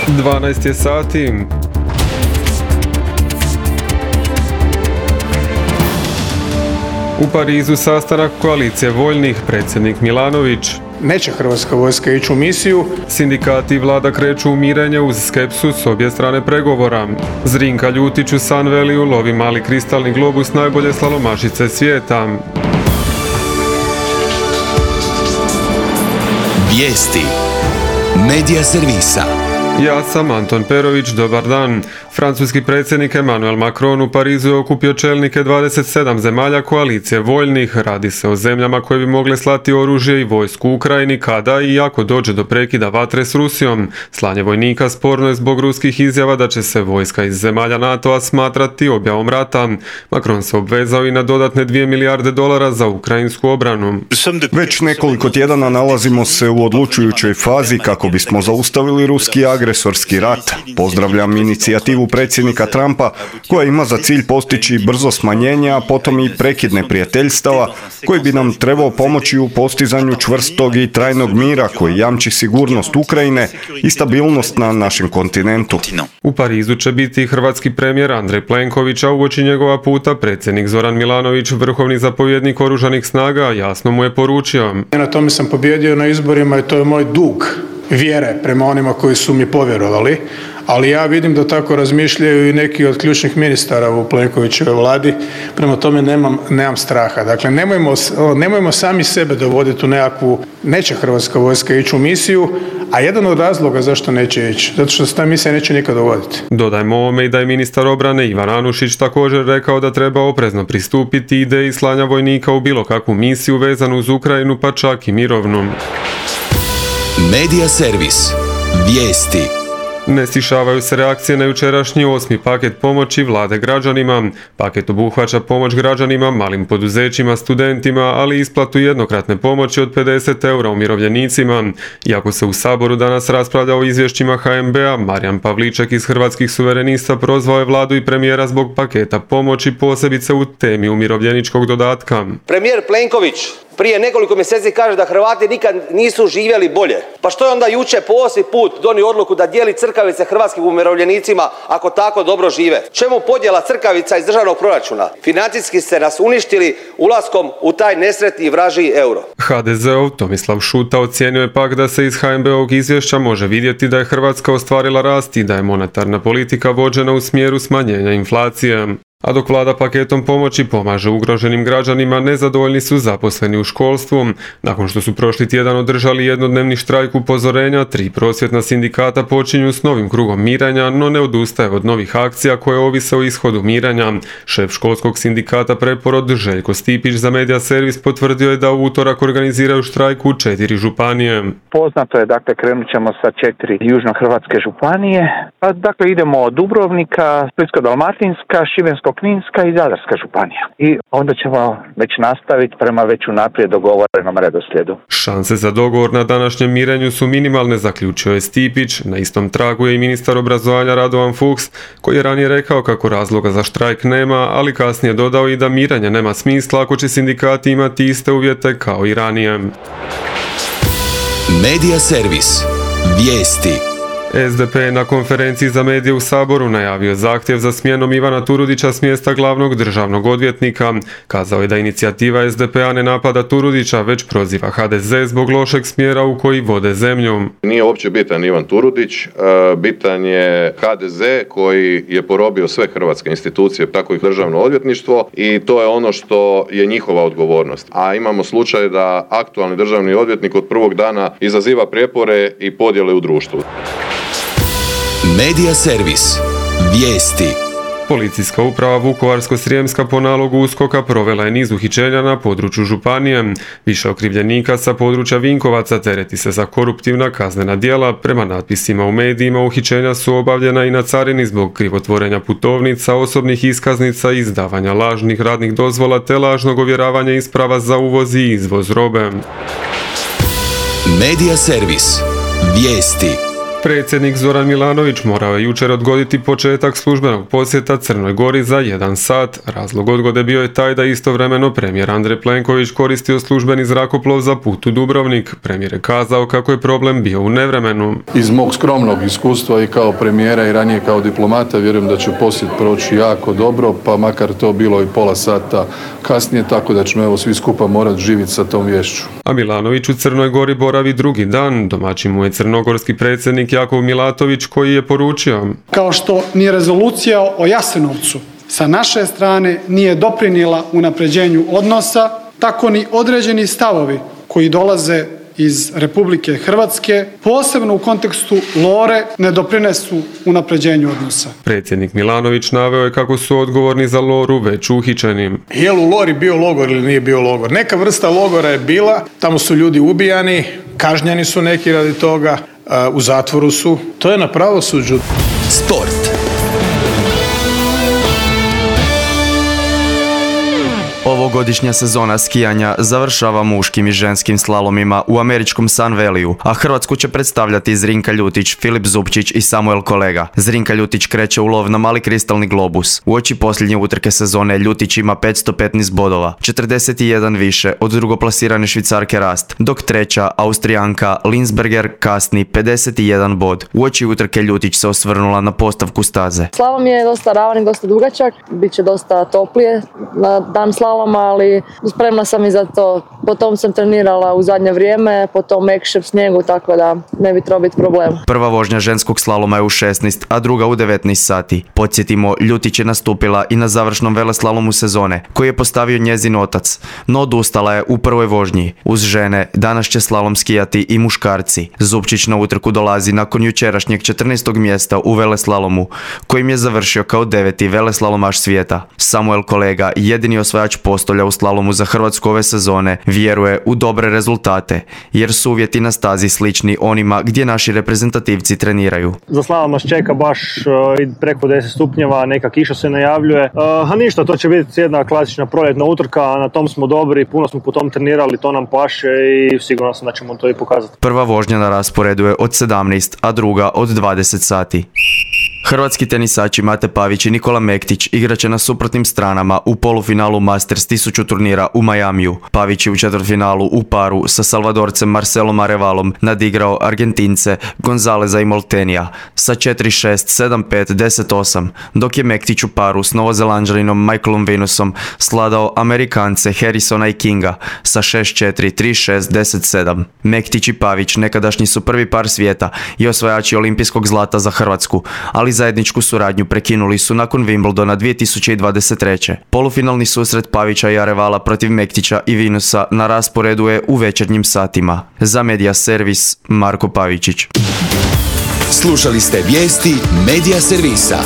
12 je sati. U Parizu sastanak koalicije voljnih, predsjednik Milanović. Neće hrvatska vojska ići u misiju. Sindikati i vlada kreću u mirenje uz skepsu s obje strane pregovora. Zrinka Ljutić u Sunvalleyu lovi mali kristalni globus najbolje slalomašice svijeta. Vijesti Medija servisa. Ja sam Anton Perović, dobar dan. Francuski predsjednik Emmanuel Macron u Parizu je okupio čelnike 27 zemalja koalicije voljnih. Radi se o zemljama koje bi mogle slati oružje i vojsku u Ukrajini kada i ako dođe do prekida vatre s Rusijom. Slanje vojnika sporno je zbog ruskih izjava da će se vojska iz zemalja NATO-a smatrati objavom rata. Macron se obvezao i na dodatne $2 milijarde za ukrajinsku obranu. Već nekoliko tjedana nalazimo se u odlučujućoj fazi kako bismo zaustavili ruski agresorski rat. Pozdravljam inicijativu predsjednika Trumpa koja ima za cilj postići brzo smanjenje, a potom i prekid neprijateljstava koji bi nam trebao pomoći u postizanju čvrstog i trajnog mira koji jamči sigurnost Ukrajine i stabilnost na našem kontinentu. U Parizu će biti hrvatski premijer Andrej Plenković, a uoči njegova puta predsjednik Zoran Milanović, vrhovni zapovjednik oružanih snaga, jasno mu je poručio: Na tome sam pobijedio na izborima i to je moj dug vjere prema onima koji su mi povjerovali, ali ja vidim da tako razmišljaju i neki od ključnih ministara u Plenkovićevoj vladi, prema tome nemam straha. Dakle, nemojmo sami sebe dovoditi u nekakvu, neće hrvatska vojska ići u misiju, a jedan od razloga zašto neće ići, zato što se ta misija neće nikad dogoditi. Dodajmo ovome i da je ministar obrane Ivan Anušić također rekao da treba oprezno pristupiti ideji slanja vojnika u bilo kakvu misiju vezanu uz Ukrajinu, pa čak i mirovnu. Medija servis. Vijesti. Ne stišavaju se reakcije na jučerašnji 8. paket pomoći vlade građanima. Paket obuhvaća pomoć građanima, malim poduzećima, studentima, ali i isplatu jednokratne pomoći od 50 € umirovljenicima. Iako se u Saboru danas raspravlja o izvješćima HNB-a, Marijan Pavliček iz Hrvatskih suverenista prozvao je vladu i premijera zbog paketa pomoći, posebice u temi umirovljeničkog dodatka. Premijer Plenković prije nekoliko mjeseci kaže da Hrvati nikad nisu živjeli bolje. Pa što je onda jučer po 8. put donio odluku da dijeli crkavice hrvatskim umirovljenicima ako tako dobro žive? Čemu podjela crkavica iz državnog proračuna? Financijski ste nas uništili ulaskom u taj nesretni i vražji euro. HDZ-ov Tomislav Šuta ocijenio je pak da se iz HNB-ovog izvješća može vidjeti da je Hrvatska ostvarila rast i da je monetarna politika vođena u smjeru smanjenja inflacije. A dok vlada paketom pomoći pomaže ugroženim građanima, nezadovoljni su zaposleni u školstvu. Nakon što su prošli tjedan održali jednodnevni štrajk upozorenja, 3 prosvjetna sindikata počinju s novim krugom mirenja, no ne odustaje od novih akcija koje ovise o ishodu mirenja. Šef školskog sindikata Preporod Željko Stipić za Medija servis potvrdio je da u utorak organiziraju štrajk u 4 županije. Poznato je, dakle, krenut ćemo sa 4 južnohrvatske županije. Dakle, idemo od Dubrovnika, Splitsko-dalmatinska, Šibensko-kninska i Zadarska županija. I onda ćemo već nastaviti prema već unaprijed dogovorenom redoslijedu. Šanse za dogovor na današnjem mirenju su minimalne, zaključio je Stipić. Na istom tragu je i ministar obrazovanja Radovan Fuchs, koji je ranije rekao kako razloga za štrajk nema, ali kasnije dodao i da mirenje nema smisla ako će sindikati imati iste uvjete kao i ranije. Medija servis. Vijesti. SDP je na konferenciji za medije u Saboru najavio zahtjev za smjenom Ivana Turudića s mjesta glavnog državnog odvjetnika. Kazao je da inicijativa SDP-a ne napada Turudića, već proziva HDZ zbog lošeg smjera u koji vode zemlju. Nije uopće bitan Ivan Turudić, bitan je HDZ koji je porobio sve hrvatske institucije, tako i državno odvjetništvo, i to je ono što je njihova odgovornost. A imamo slučaj da aktualni državni odvjetnik od prvog dana izaziva prijepore i podjele u društvu. Medija servis. Vijesti. Policijska uprava Vukovarsko-srijemska po nalogu USKOK-a provela je niz uhićenja na području županije. Više okrivljenika sa područja Vinkovaca tereti se za koruptivna kaznena djela. Prema natpisima u medijima, uhićenja su obavljena i na carini zbog krivotvorenja putovnica, osobnih iskaznica, izdavanja lažnih radnih dozvola te lažnog ovjeravanja isprava za uvoz i izvoz robe. Medija servis. Vijesti. Predsjednik Zoran Milanović morao je jučer odgoditi početak službenog posjeta Crnoj Gori za 1 sat. Razlog odgode bio je taj da istovremeno premijer Andrej Plenković koristio službeni zrakoplov za put u Dubrovnik. Premijer je kazao kako je problem bio u nevremenu. Iz mog skromnog iskustva i kao premijera i ranije kao diplomata vjerujem da će posjet proći jako dobro, pa makar to bilo i pola sata kasnije, tako da ćemo evo svi skupa morati živjeti sa tom vješću. A Milanović u Crnoj Gori boravi drugi dan. Domaćin mu je crnogorski predsjednik Jakov Milatović koji je poručio: kao što ni rezolucija o Jasenovcu sa naše strane nije doprinijela unapređenju odnosa, tako ni određeni stavovi koji dolaze iz Republike Hrvatske, posebno u kontekstu Lore, ne doprinesu unapređenju odnosa. Predsjednik Milanović naveo je kako su odgovorni za Loru već uhićeni. Je li u Lori bio logor ili nije bio logor? Neka vrsta logora je bila, tamo su ljudi ubijani, kažnjeni su neki radi toga, u zatvoru su. To je na pravosuđu. Sport. Ovogodišnja sezona skijanja završava muškim i ženskim slalomima u američkom Sun Valleyu, a Hrvatsku će predstavljati Zrinka Ljutić, Filip Zupčić i Samuel Kolega. Zrinka Ljutić kreće u lov na mali kristalni globus. Uoči posljednje utrke sezone Ljutić ima 515 bodova, 41 više od drugoplasirane Švicarke Rast, dok treća Austrijanka Linsberger kasni 51 bod. Uoči utrke Ljutić se osvrnula na postavku staze. Slalom je dosta ravan i dosta dugačak, bit će dosta toplije na dan slaloma, ali spremna sam i za to. Potom sam trenirala u zadnje vrijeme, potom mekšem snijegu, tako da ne bi trebao biti problem. Prva vožnja ženskog slaloma je u 16, a druga u 19 sati. Podsjetimo, Ljutić je nastupila i na završnom veleslalomu sezone, koji je postavio njezin otac, no odustala je u prvoj vožnji. Uz žene, danas će slalom skijati i muškarci. Zupčić na utrku dolazi nakon jučerašnjeg 14. mjesta u veleslalomu, kojim je završio kao 9. veleslalomaš svijeta. Samuel Kolega, jedini osvajač postolja u slalomu za Hrvatsku ove sezone, vjeruje u dobre rezultate, jer su uvjeti na stazi slični onima gdje naši reprezentativci treniraju. Za slalom nas čeka baš preko 10 stupnjeva, neka kiša se najavljuje. A ništa, to će biti jedna klasična proljetna utrka, na tom smo dobri, puno smo po tom trenirali, to nam paše i sigurno sam da ćemo to i pokazati. Prva vožnja na rasporedu je od 17, a druga od 20 sati. Hrvatski tenisači Mate Pavić i Nikola Mektić igraće na suprotnim stranama u polufinalu Masters 1000 turnira u Majamiju. Pavić je u četvrtfinalu u paru sa Salvadorcem Marcelom Arevalom nadigrao Argentince Gonzaleza i Moltenija sa 4-6, 7-5, 10-8, dok je Mektić u paru s Novozelanđaninom Michaelom Venusom sladao Amerikance Harrisona i Kinga sa 6-4, 3-6, 10-7. Mektić i Pavić nekadašnji su prvi par svijeta i osvajači olimpijskog zlata za Hrvatsku, ali zajedničku suradnju prekinuli su nakon Wimbledona 2023. Polufinalni susret Pavića i Arevala protiv Mektića i Venusa na rasporedu je u večernjim satima. Za Media Servis, Marko Pavičić. Slušali ste vijesti Media Servisa.